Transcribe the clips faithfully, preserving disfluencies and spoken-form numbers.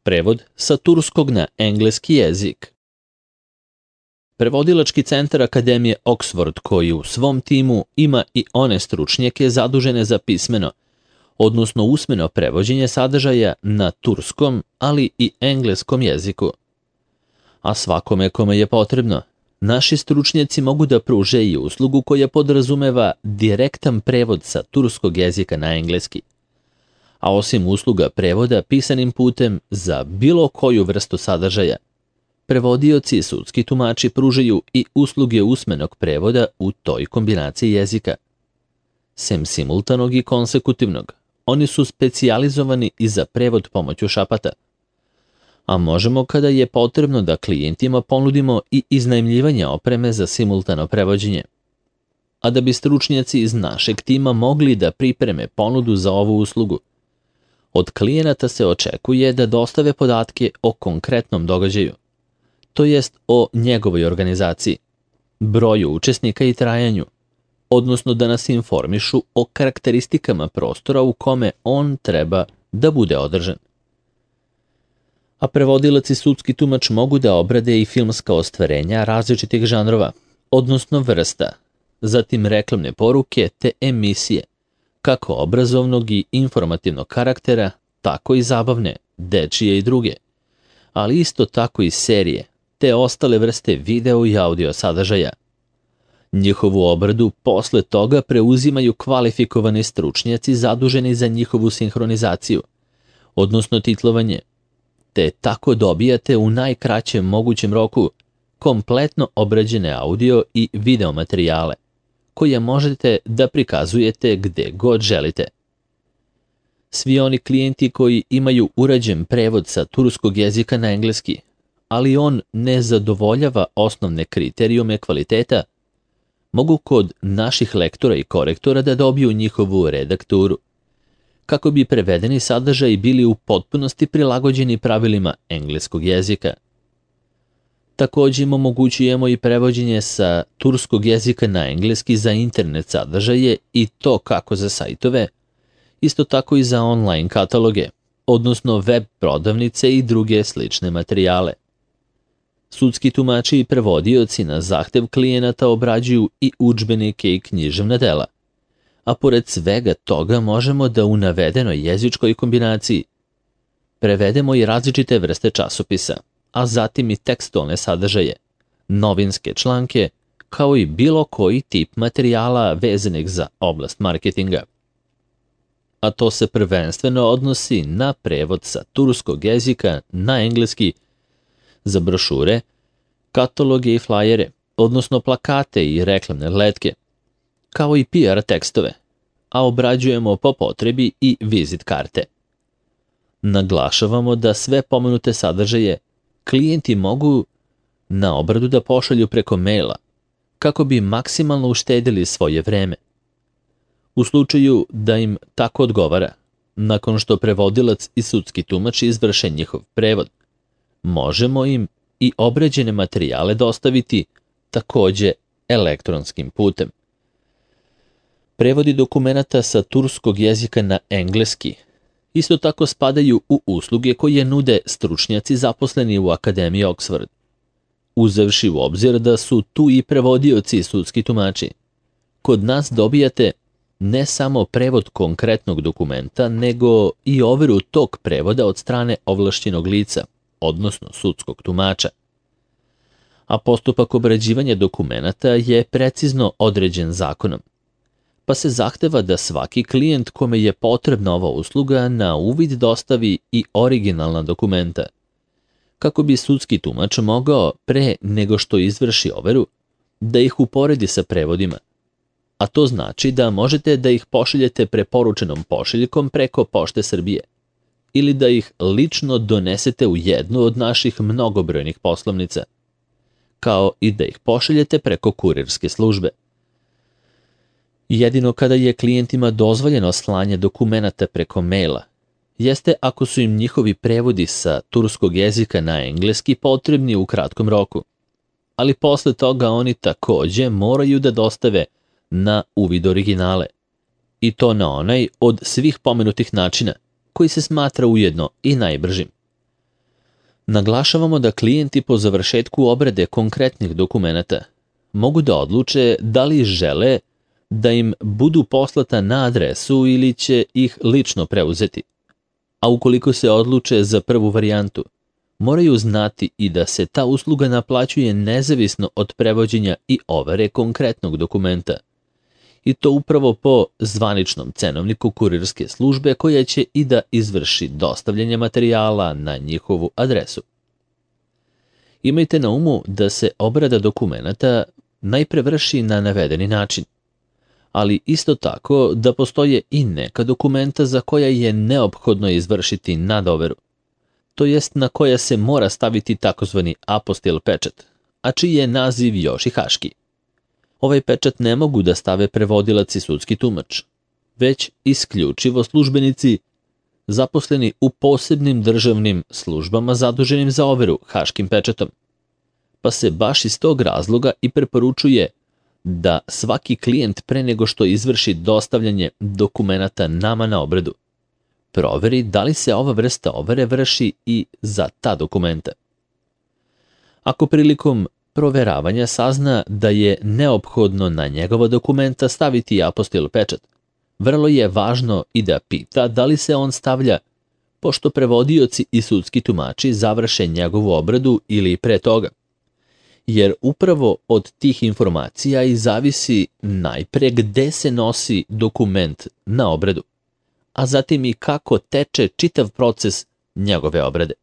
Prevod sa turskog na engleski jezik. Prevodilački centar Akademije Oxford, koji u svom timu ima i one stručnjake zadužene za pismeno, odnosno usmeno prevođenje sadržaja na turskom, ali i engleskom jeziku. A svakome kome je potrebno, naši stručnjaci mogu da pruže i uslugu koja podrazumeva direktan prevod sa turskog jezika na engleski. A osim usluga prevoda pisanim putem za bilo koju vrstu sadržaja, prevodioci i sudski tumači pružaju i usluge usmenog prevoda u toj kombinaciji jezika. Sem simultanog i konsekutivnog, oni su specijalizovani i za prevod pomoću šapata. A možemo, kada je potrebno, da klijentima ponudimo i iznajmljivanje opreme za simultano prevođenje. A da bi stručnjaci iz našeg tima mogli da pripreme ponudu za ovu uslugu, od klijenata se očekuje da dostave podatke o konkretnom događaju, to jest o njegovoj organizaciji, broju učesnika i trajanju, odnosno da nas informišu o karakteristikama prostora u kome on treba da bude održan. A prevodilac i sudski tumač mogu da obrade i filmska ostvarenja različitih žanrova, odnosno vrsta, zatim reklamne poruke te emisije, kako obrazovnog i informativnog karaktera, tako i zabavne, dečije i druge, ali isto tako i serije, te ostale vrste video i audio sadržaja. Njihovu obradu posle toga preuzimaju kvalifikovani stručnjaci zaduženi za njihovu sinhronizaciju, odnosno titlovanje, te tako dobijate u najkraćem mogućem roku kompletno obrađene audio i video materijale, koje možete da prikazujete gde god želite. Svi oni klijenti koji imaju urađen prevod sa turskog jezika na engleski, ali on ne zadovoljava osnovne kriterijume kvaliteta, mogu kod naših lektora i korektora da dobiju njihovu redakturu, kako bi prevedeni sadržaji bili u potpunosti prilagođeni pravilima engleskog jezika. Također im omogućujemo i prevođenje sa turskog jezika na engleski za internet sadržaje i to kako za sajtove, isto tako i za online kataloge, odnosno web prodavnice i druge slične materijale. Sudski tumači i prevodioci na zahtev klijenata obrađuju i udžbenike i književna dela, a pored svega toga možemo da u navedenoj jezičkoj kombinaciji prevedemo i različite vrste časopisa, a zatim i tekstualne sadržaje, novinske članke, kao i bilo koji tip materijala vezanih za oblast marketinga. A to se prvenstveno odnosi na prevod sa turskog jezika na engleski za brošure, kataloge i flajere, odnosno plakate i reklamne letke, kao i P R tekstove, a obrađujemo po potrebi i vizit karte. Naglašavamo da sve pomenute sadržaje klijenti mogu na obradu da pošalju preko maila, kako bi maksimalno uštedili svoje vreme. U slučaju da im tako odgovara, nakon što prevodilac i sudski tumač izvrše njihov prevod, možemo im i obrađene materijale dostaviti takođe elektronskim putem. Prevodi dokumenata sa turskog jezika na engleski isto tako spadaju u usluge koje nude stručnjaci zaposleni u Akademiji Oxford. Uzevši u obzir da su tu i prevodioci i sudski tumači, kod nas dobijate ne samo prevod konkretnog dokumenta, nego i overu tog prevoda od strane ovlašćenog lica, odnosno sudskog tumača. A postupak obrađivanja dokumenata je precizno određen zakonom, pa se zahteva da svaki klijent kome je potrebna ova usluga na uvid dostavi i originalna dokumenta, kako bi sudski tumač mogao pre nego što izvrši overu da ih uporedi sa prevodima. A to znači da možete da ih pošaljete preporučenom pošiljkom preko Pošte Srbije ili da ih lično donesete u jednu od naših mnogobrojnih poslovnica, kao i da ih pošaljete preko kurirske službe. Jedino kada je klijentima dozvoljeno slanje dokumenata preko maila, jeste ako su im njihovi prevodi sa turskog jezika na engleski potrebni u kratkom roku, ali posle toga oni takođe moraju da dostave na uvid originale, i to na onaj od svih pomenutih načina, koji se smatra ujedno i najbržim. Naglašavamo da klijenti po završetku obrade konkretnih dokumenata mogu da odluče da li žele da im budu poslata na adresu ili će ih lično preuzeti. A ukoliko se odluče za prvu varijantu, moraju znati i da se ta usluga naplaćuje nezavisno od prevođenja i overe konkretnog dokumenta. I to upravo po zvaničnom cenovniku kurirske službe koja će i da izvrši dostavljanje materijala na njihovu adresu. Imajte na umu da se obrada dokumenata najpre vrši na navedeni način, ali isto tako da postoje i neka dokumenta za koja je neophodno izvršiti nadoveru, to jest na koja se mora staviti takozvani apostil pečat, a čiji je naziv još i haški. Ovaj pečat ne mogu da stave prevodilac i sudski tumač, već isključivo službenici zaposleni u posebnim državnim službama zaduženim za overu haškim pečatom. Pa se baš iz tog razloga i preporučuje da svaki klijent pre nego što izvrši dostavljanje dokumenata nama na obradu, proveri da li se ova vrsta overe vrši i za ta dokumenta. Ako prilikom proveravanja sazna da je neophodno na njegova dokumenta staviti apostil pečat, vrlo je važno i da pita da li se on stavlja pošto prevodioci i sudski tumači završe njegovu obradu ili pre toga. Jer upravo od tih informacija i zavisi najpre gde se nosi dokument na obradu, a zatim i kako teče čitav proces njegove obrade.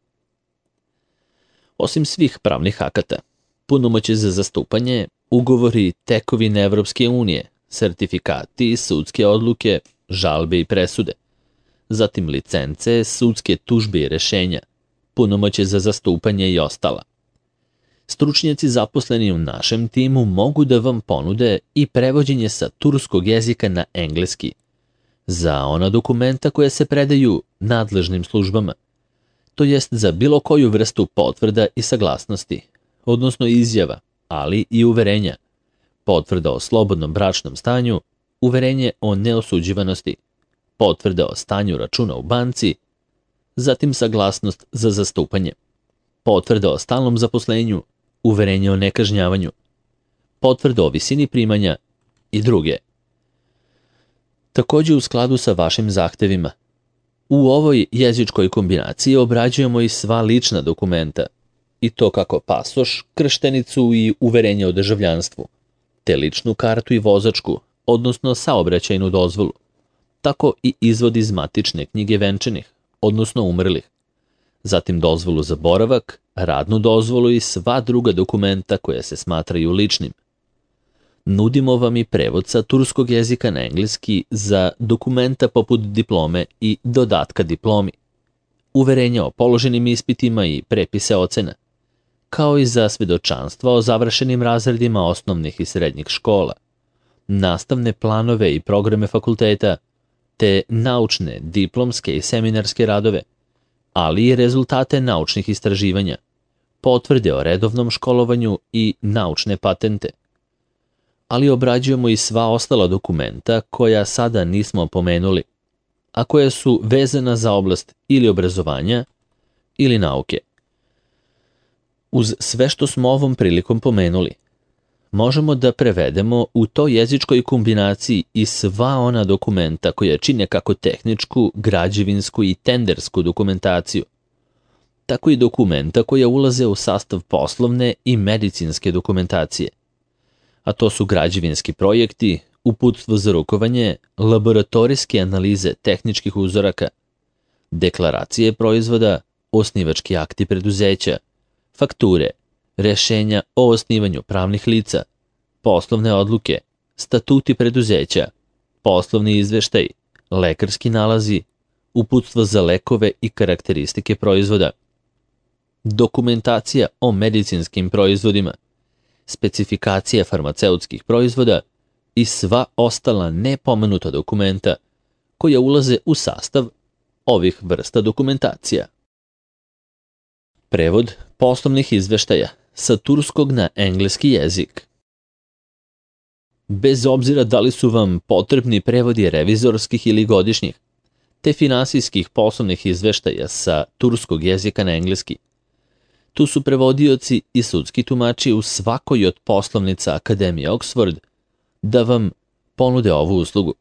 Osim svih pravnih akata, punomoćje za zastupanje, ugovori, tekovine Evropske unije, sertifikati, sudske odluke, žalbe i presude, zatim licence, sudske tužbe i rešenja, punomoćje za zastupanje i ostala. Stručnjaci zaposleni u našem timu mogu da vam ponude i prevođenje sa turskog jezika na engleski za ona dokumenta koje se predaju nadležnim službama, to jest za bilo koju vrstu potvrda i saglasnosti, odnosno izjava, ali i uverenja, potvrda o slobodnom bračnom stanju, uverenje o neosuđivanosti, potvrda o stanju računa u banci, zatim saglasnost za zastupanje, potvrda o stalnom zaposlenju, uverenje o nekažnjavanju, potvrda o visini primanja i druge. Takođe u skladu sa vašim zahtevima, u ovoj jezičkoj kombinaciji obrađujemo i sva lična dokumenta, i to kako pasoš, krštenicu i uverenje o državljanstvu, te ličnu kartu i vozačku, odnosno saobraćajnu dozvolu, tako i izvod iz matične knjige venčanih, odnosno umrlih, zatim dozvolu za boravak, radnu dozvolu i sva druga dokumenta koja se smatraju ličnim. Nudimo vam i prevod sa turskog jezika na engleski za dokumenta poput diplome i dodatka diplomi, uverenja o položenim ispitima i prepise ocena, kao i za svedočanstva o završenim razredima osnovnih i srednjih škola, nastavne planove i programe fakulteta, te naučne, diplomske i seminarske radove, ali i rezultate naučnih istraživanja, potvrde o redovnom školovanju i naučne patente. Ali obrađujemo i sva ostala dokumenta koja sada nismo pomenuli, a koja su vezana za oblast ili obrazovanja ili nauke. Uz sve što smo ovom prilikom pomenuli, možemo da prevedemo u toj jezičkoj kombinaciji i sva ona dokumenta koja čine kako tehničku, građevinsku i tendersku dokumentaciju, tako i dokumenta koja ulaze u sastav poslovne i medicinske dokumentacije, a to su građevinski projekti, uputstvo za rukovanje, laboratorijske analize tehničkih uzoraka, deklaracije proizvoda, osnivački akti preduzeća, fakture, rešenja o osnivanju pravnih lica, poslovne odluke, statuti preduzeća, poslovni izveštaj, lekarski nalazi, uputstvo za lekove i karakteristike proizvoda, dokumentacija o medicinskim proizvodima, specifikacija farmaceutskih proizvoda i sva ostala nepomenuta dokumenta koja ulaze u sastav ovih vrsta dokumentacija. Prevod poslovnih izveštaja sa turskog na engleski jezik. Bez obzira da li su vam potrebni prevodi revizorskih ili godišnjih, te finansijskih poslovnih izveštaja sa turskog jezika na engleski, Tu su prevodioci i sudski tumači u svakoj od poslovnica Akademije Oxford da vam ponude ovu uslugu.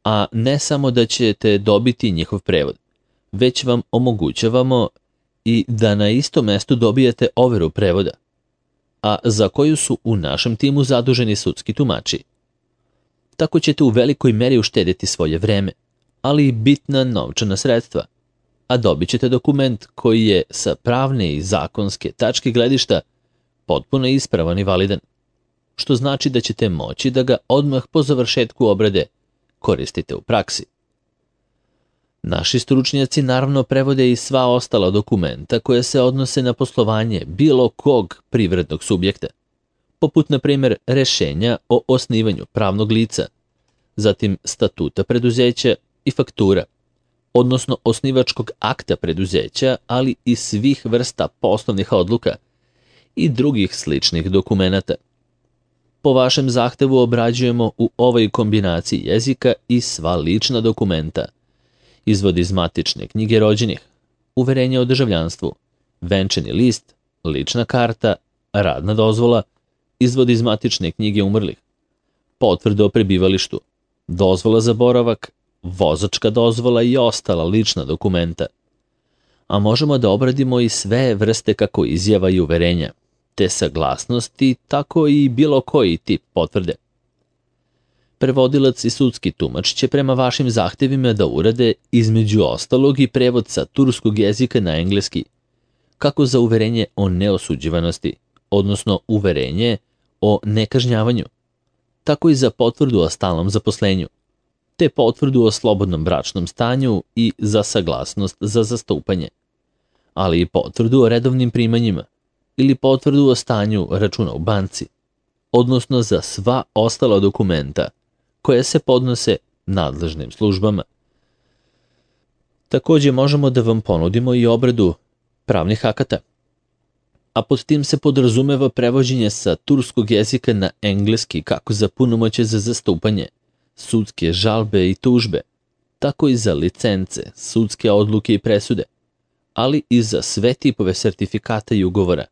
A ne samo da ćete dobiti njihov prevod, već vam omogućavamo i da na istom mestu dobijete overu prevoda, a za koju su u našem timu zaduženi sudski tumači. Tako ćete u velikoj meri uštedjeti svoje vreme, ali i bitna novčana sredstva, a dobit ćete dokument koji je sa pravne i zakonske tačke gledišta potpuno ispravan i validan, što znači da ćete moći da ga odmah po završetku obrade koristite u praksi. Naši stručnjaci naravno prevode i sva ostala dokumenta koje se odnose na poslovanje bilo kog privrednog subjekta, poput na primjer rešenja o osnivanju pravnog lica, zatim statuta preduzeća i faktura, odnosno osnivačkog akta preduzeća, ali i svih vrsta poslovnih odluka i drugih sličnih dokumenata. Po vašem zahtevu obrađujemo u ovoj kombinaciji jezika i sva lična dokumenta, izvod iz matične knjige rođenih, uverenje o državljanstvu, venčani list, lična karta, radna dozvola, izvod iz matične knjige umrlih, potvrda o prebivalištu, dozvola za boravak, vozačka dozvola i ostala lična dokumenta. A možemo da obradimo i sve vrste kako izjava i uverenja, te saglasnosti, tako i bilo koji tip potvrde. Prevodilac i sudski tumač će prema vašim zahtevima da urade između ostalog i prevod sa turskog jezika na engleski, kako za uverenje o neosuđivanosti, odnosno uverenje o nekažnjavanju, tako i za potvrdu o stalnom zaposlenju, te potvrdu o slobodnom bračnom stanju i za saglasnost za zastupanje, ali i potvrdu o redovnim primanjima ili potvrdu o stanju računa u banci, odnosno za sva ostala dokumenta koje se podnose nadležnim službama. Također možemo da vam ponudimo i obradu pravnih akata, a pod tim se podrazumeva prevođenje sa turskog jezika na engleski kako za punomoćje za zastupanje, sudske žalbe i tužbe, tako i za licence, sudske odluke i presude, ali i za sve tipove sertifikata i ugovora,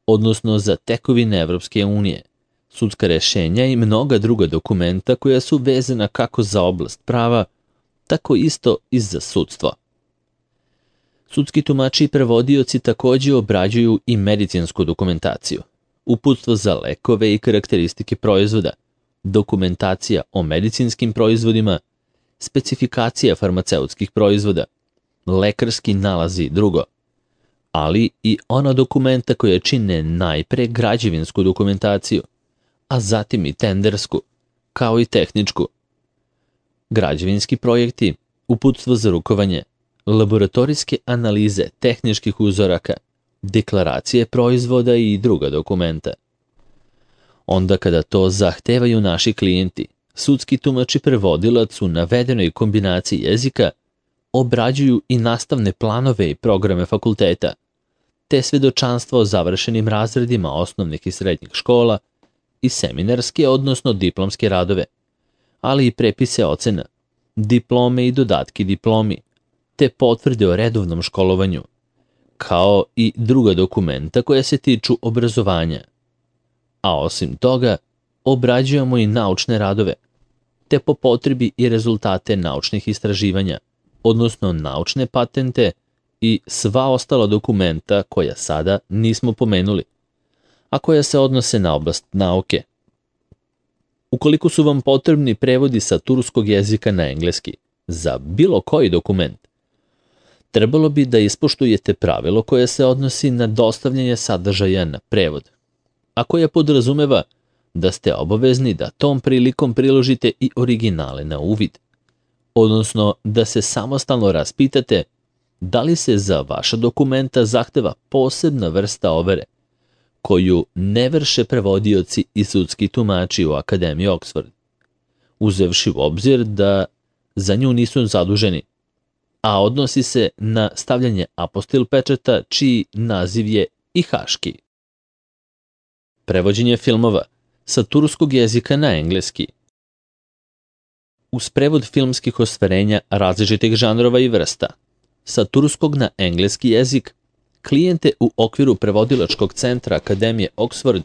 odnosno za tekovine Evropske unije, sudska rešenja i mnoga druga dokumenta koja su vezana kako za oblast prava, tako isto i za sudstvo. Sudski tumači i prevodioci također obrađuju i medicinsku dokumentaciju, uputstvo za lekove i karakteristike proizvoda, dokumentacija o medicinskim proizvodima, specifikacija farmaceutskih proizvoda, lekarski nalazi i drugo, ali i ona dokumenta koje čine najpre građevinsku dokumentaciju, a zatim i tendersku, kao i tehničku. Građevinski projekti, uputstvo za rukovanje, laboratorijske analize tehničkih uzoraka, deklaracije proizvoda i druga dokumenta. Onda kada to zahtevaju naši klijenti, sudski tumač i prevodilac u navedenoj kombinaciji jezika obrađuju i nastavne planove i programe fakulteta, te svedočanstvo o završenim razredima osnovnih i srednjih škola i seminarske, odnosno diplomske radove, ali i prepise ocena, diplome i dodatki diplomi, te potvrde o redovnom školovanju, kao i druga dokumenta koja se tiču obrazovanja. A osim toga, obrađujemo i naučne radove, te po potrebi i rezultate naučnih istraživanja, odnosno naučne patente i sva ostala dokumenta koja sada nismo pomenuli, a koja se odnose na oblast nauke. Ukoliko su vam potrebni prevodi sa turskog jezika na engleski za bilo koji dokument, trebalo bi da ispoštujete pravilo koje se odnosi na dostavljanje sadržaja na prevod, a koje podrazumeva da ste obavezni da tom prilikom priložite i originale na uvid, odnosno da se samostalno raspitate da li se za vaša dokumenta zahteva posebna vrsta overe, koju ne vrše prevodioci i sudski tumači u Akademiji Oxford, uzevši u obzir da za nju nisu zaduženi, a odnosi se na stavljanje apostil pečata čiji naziv je i haški. Prevođenje filmova sa turskog jezika na engleski. Uz prevod filmskih ostvarenja različitih žanrova i vrsta, sa turskog na engleski jezik, klijente u okviru prevodilačkog centra Akademije Oxford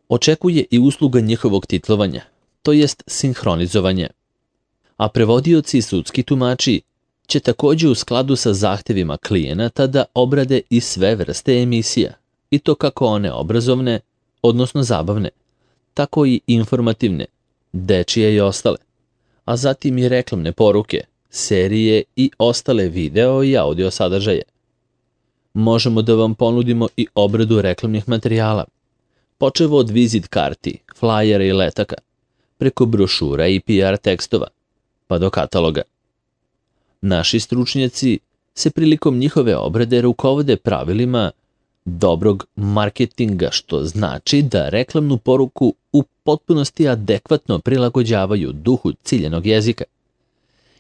očekuje i usluga njihovog titlovanja, to jest sinhronizovanje. A prevodioci i sudski tumači će također u skladu sa zahtjevima klijenata da obrade i sve vrste emisija, i to kako one obrazovne, odnosno zabavne, tako i informativne, dečije i ostale, a zatim i reklamne poruke, serije i ostale video i audio sadržaje. Možemo da vam ponudimo i obradu reklamnih materijala, počevo od vizit karti, flajera i letaka, preko brošura i P R tekstova, pa do kataloga. Naši stručnjaci se prilikom njihove obrade rukovode pravilima dobrog marketinga, što znači da reklamnu poruku u potpunosti adekvatno prilagođavaju duhu ciljanog jezika.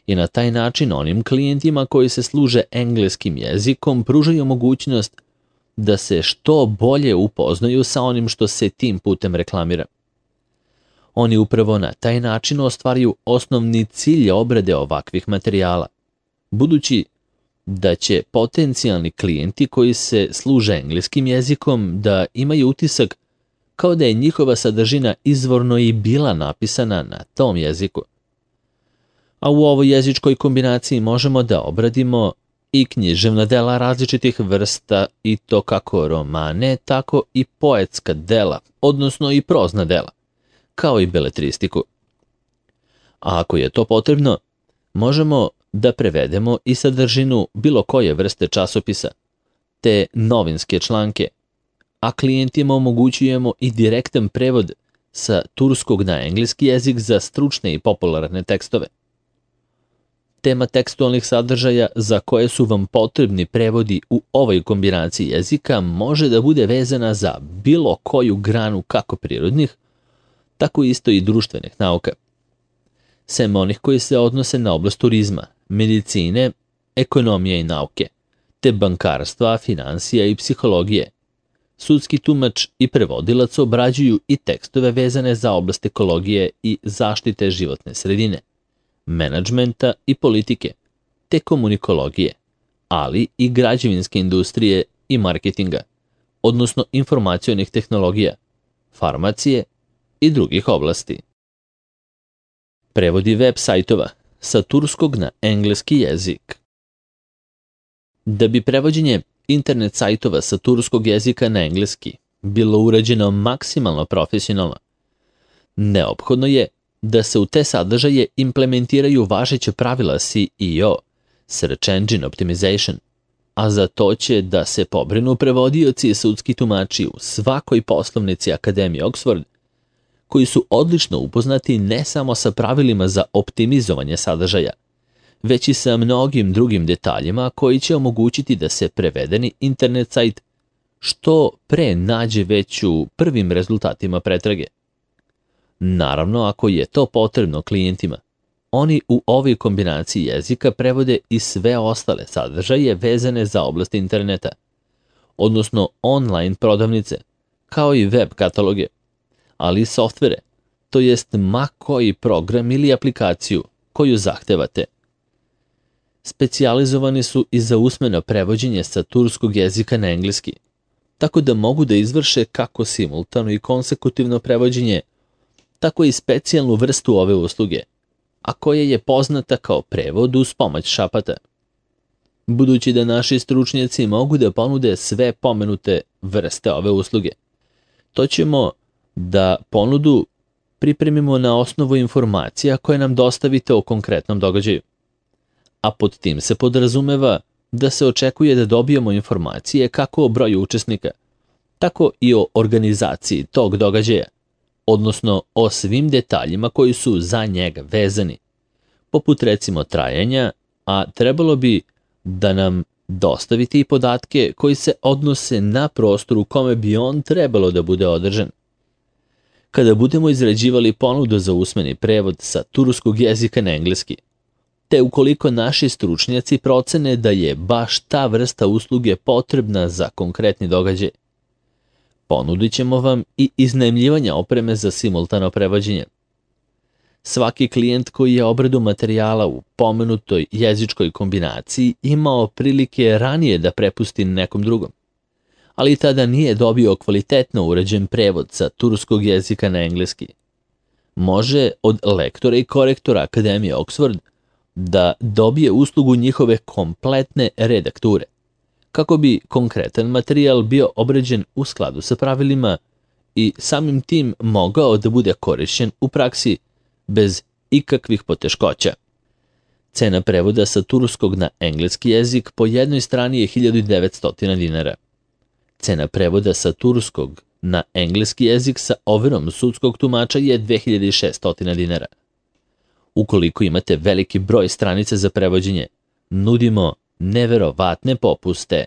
I na taj način onim klijentima koji se služe engleskim jezikom pružaju mogućnost da se što bolje upoznaju sa onim što se tim putem reklamira. Oni upravo na taj način ostvaruju osnovni cilj obrade ovakvih materijala, budući da će potencijalni klijenti koji se služe engleskim jezikom da imaju utisak kao da je njihova sadržina izvorno i bila napisana na tom jeziku. A u ovoj jezičkoj kombinaciji možemo da obradimo i književna dela različitih vrsta, i to kako romane, tako i poetska dela, odnosno i prozna dela, kao i beletristiku. A ako je to potrebno, možemo da prevedemo i sadržinu bilo koje vrste časopisa, te novinske članke, a klijentima omogućujemo i direktan prevod sa turskog na engleski jezik za stručne i popularne tekstove. Tema tekstualnih sadržaja za koje su vam potrebni prevodi u ovoj kombinaciji jezika može da bude vezana za bilo koju granu kako prirodnih, tako isto i društvenih nauka. Sem onih koji se odnose na oblast turizma, medicine, ekonomije i nauke, te bankarstva, finansija i psihologije. Sudski tumač i prevodilac obrađuju i tekstove vezane za oblast ekologije i zaštite životne sredine, menadžmenta i politike, te komunikologije, ali i građevinske industrije i marketinga, odnosno informacionih tehnologija, farmacije i drugih oblasti. Prevodi web sajtova sa turskog na engleski jezik. Da bi prevođenje internet sajtova sa turskog jezika na engleski bilo urađeno maksimalno profesionalno, neophodno je da se u te sadržaje implementiraju važeće pravila S E O, Search Engine Optimization, a za to će da se pobrinu prevodioci i sudski tumači u svakoj poslovnici Akademije Oxford, koji su odlično upoznati ne samo sa pravilima za optimizovanje sadržaja, već i sa mnogim drugim detaljima koji će omogućiti da se prevedeni internet sajt što pre nađe već u prvim rezultatima pretrage. Naravno, ako je to potrebno klijentima, oni u ovoj kombinaciji jezika prevode i sve ostale sadržaje vezane za oblast interneta, odnosno online prodavnice, kao i web kataloge, ali i softvere, to jest ma koji program ili aplikaciju koju zahtevate. Specijalizovani su i za usmeno prevođenje sa turskog jezika na engleski, tako da mogu da izvrše kako simultano i konsekutivno prevođenje, tako i specijalnu vrstu ove usluge, a koja je poznata kao prevod uz pomoć šapata. Budući da naši stručnjaci mogu da ponude sve pomenute vrste ove usluge, to ćemo da ponudu pripremimo na osnovu informacija koje nam dostavite o konkretnom događaju. A pod tim se podrazumeva da se očekuje da dobijemo informacije kako o broju učesnika, tako i o organizaciji tog događaja, odnosno o svim detaljima koji su za njega vezani, poput recimo trajanja, a trebalo bi da nam dostavite i podatke koji se odnose na prostor u kome bi on trebalo da bude održan. Kada budemo izrađivali ponudu za usmeni prevod sa turskog jezika na engleski, te ukoliko naši stručnjaci procene da je baš ta vrsta usluge potrebna za konkretni događaj, ponudit ćemo vam i iznajmljivanje opreme za simultano prevođenje. Svaki klijent koji je obradu materijala u pomenutoj jezičkoj kombinaciji imao prilike ranije da prepusti nekom drugom, ali tada nije dobio kvalitetno uređen prevod sa turskog jezika na engleski. Može od lektora i korektora Akademije Oxford da dobije uslugu njihove kompletne redakture, kako bi konkretan materijal bio obrađen u skladu sa pravilima i samim tim mogao da bude korišćen u praksi bez ikakvih poteškoća. Cena prevoda sa turskog na engleski jezik po jednoj strani je hiljadu devetsto dinara. Cena prevoda sa turskog na engleski jezik sa overom sudskog tumača je dve hiljade šesto dinara. Ukoliko imate veliki broj stranica za prevođenje, nudimo neverovatne popuste